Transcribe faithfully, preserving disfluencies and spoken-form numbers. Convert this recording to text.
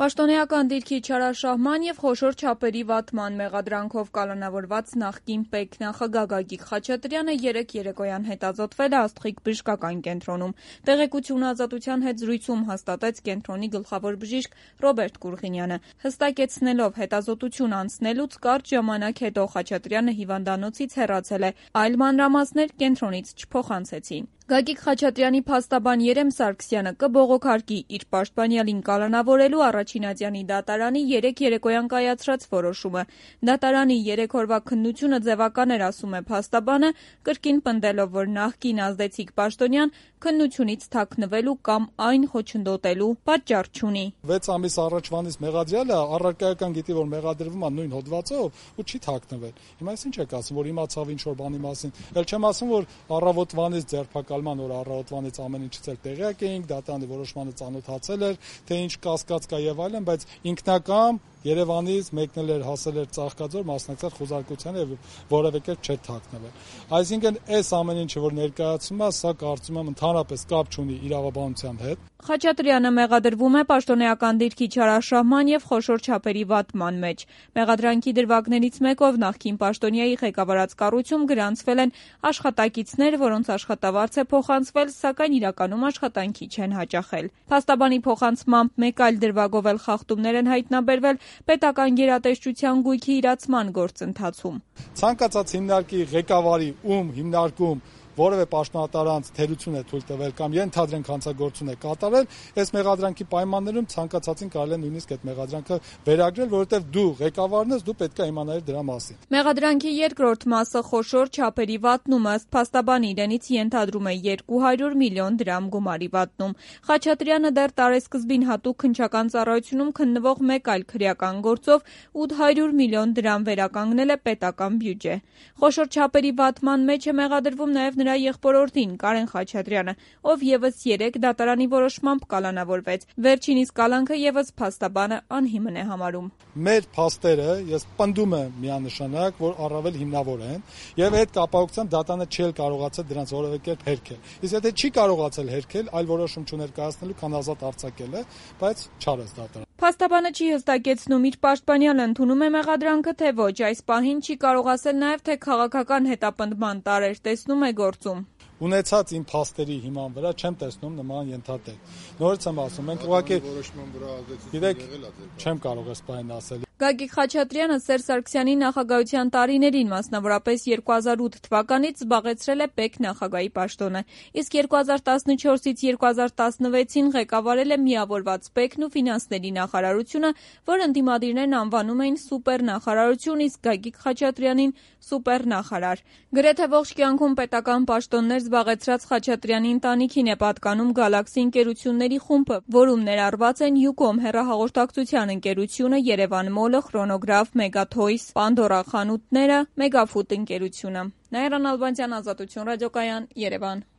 Պաշտոնեական դիրքի չարաշահման և խոշոր չափերի վատման մեղադրանքով կալանավորված նախկին ՊԵԿ նախագահ Գագիկ Խաչատրյանը երեկ երեկոյան հետազոտվել է Աստղիկ բժշկական կենտրոնում։ Տեղեկությունը Ազատության հետ զրույցում հաստատեց կենտրոնի գլխավոր բժիշկ Ռոբերտ Կուրղինյանը։ Հստակեցնելով հետազոտություն անցնելուց կարճ ժամանակ հետո Խաչատրյանը հիվանդանոցից հեռացել է, այլ մանրամասներ կենտրոնից չփոխանցեցին։ Գագիկ Խաչատրյանի փաստաբան Երեմ Սարգսյանը կբողոքարկի իր պաշտպանյալին կալանավորելու Առաջին Ազյանի դատարանի երեկ երեկոյան կայացրած որոշումը։ Դատարանի երեք օրվա քննությունը ձևական էր, ասում է փաստաբանը, կրկին պնդելով, որ նախկին ազդեցիկ պաշտոնյան քննությունից թաքնվելու կամ այն խոչընդոտելու պատճառ չունի։ վեց ամիս առաջվանից մեղադրյալը առարկայական գիտի, որ մեղադրվում է նույն հոդվածով ու չի թաքնվել։ Հիմա ինչ եք ասում, որ իմացավ ինչ որ բանի մասին։ Էլ չեմ ասում, որ առավոտվանից ձերբակալման օր առավոտվանից ամեն ինչից էլ տեղյակ էինք, դատարանի որոշմանը ծանոթացել էր, թե ինչ կասկած կա եւ այլն, բայց ինքնակամ Երևանից մեկնել էր, հասել էր Ծաղկաձոր, մասնակցել խոզարկությանը եւ որևէ կերպ չէր թաքնվել։ Այսինքն այս ամեն ինչը որ ներկայացում է, սա կարծում եմ ընդհանրապես կապ չունի իրավաբանության հետ։ Խաչատրյանը մեղադրվում է պաշտոնեական դիրքի չարաշահման եւ խոշոր չափերի վատման մեջ։ Մեղադրանքի դրվագներից մեկով նախկին պաշտոնյայի ղեկավարած կառույցում գրանցվել են աշխատակիցներ, որոնց աշխատավարձ է փոխանցվել, սակայն իրականում աշխատանքի չեն հաճախել։ Փաստաբանի փոխանցմամբ մեկ այլ դրվագով էլ խախտումներ են հայտնաբերվել պետական գերատեսչության գույքի իրացման գործընթացում։ Ցանկացած հիմնարկի ղեկավարի ում հիմնարկում որևէ պաշտոնատարանց թերություն է թույլ տվել կամ ենթադրենք հանցագործություն է կատարել, այս մեղադրանքի պայմաններում ցանկացածին կարելի է նույնիսկ այդ մեղադրանքը վերագրել, որովհետև դու ղեկավարն ես, դու պետք է իմանայիր դրա մասին։ Մեղադրանքի երկրորդ մասը խոշոր չափերի վատնում ըստ փաստաբանի իրենից ենթադրում է երկու հարյուր միլիոն դրամ գումարի վատնում։ Խաչատրյանը դեռ տարեսկզբին հատուկ քննչական ծառայությունում քննվող մեկ այլ քրեական գործով ութ հարյուր միլիոն դրամ վերականգնել է պետական բյուջե։ Խոշոր չափերի վատման մեջ է մեղադրվում նաև նրա եղբորորդին Կարեն Խաչատրյանը, ով եւս երեք դատարանի որոշմամբ կալանավորվեց։ Վերջինիս կալանքը եւս փաստաբանը անհիմն է համարում։ Մեր փաստերը ես պնդում եմ միանշանակ, որ առավել հիմնավոր են եւ այդ կապակցությամբ դատարանը չի կարողացել դրանց որևէ կերպ հերքել։ Իսկ եթե չի կարողացել հերքել, այլ որոշում չներկայացնելու, քան ազատ արձակել է, բայց չարեց դատարանը։ Փաստաբանը չի հստակեցնում իր պաշտպանյալը ընդունում է մեղադրանքը, թե ոչ, այս պահին չի կարող ասել նաև, թե քաղաքական հետապնդման տարեր տեսնում է գործում։ Ունեցած իմ փաստերի հիման վրա չեմ տեսնում նման ենթատեքստ։ Նորից եմ ասում, մենք ուղղակի գիտեք, չեմ կարող այս բանն ասել։ Գագիկ Խաչատրյանը Սերժ Սարգսյանի նախագահության տարիներին, մասնավորապես երկու հազար ութ թվականից զբաղեցրել է ՊԵԿ նախագահի պաշտոնը, իսկ երկու հազար տասնչորսից երկու հազար տասնվեցին ղեկավարել է միավորված ՊԵԿ-ն ու ֆինանսների նախարարությունը, որ ընդդիմադիրներն անվանում էին սուպերնախարարություն, իսկ Գագիկ Խաչատրյանին սուպերնախարար։ Գրեթե ողջ կյանքում պետական պաշտոններ զբաղեցրած Խաչատրյանի ընտանիքին է պատկանում Գալաքսի ընկերությունների խումբը, որում ներառված են Յուկոմ հեռահաղորդակցության ընկերությունը, Երևան Մոլը, Խրոնոգրաֆ, Մեգաթոյս, Պանդորա խանութները, Մեգաֆուդ ընկերությունը։ Նաիրա Նալբանդյան, Ազատություն ռադիոկայան, Երևան։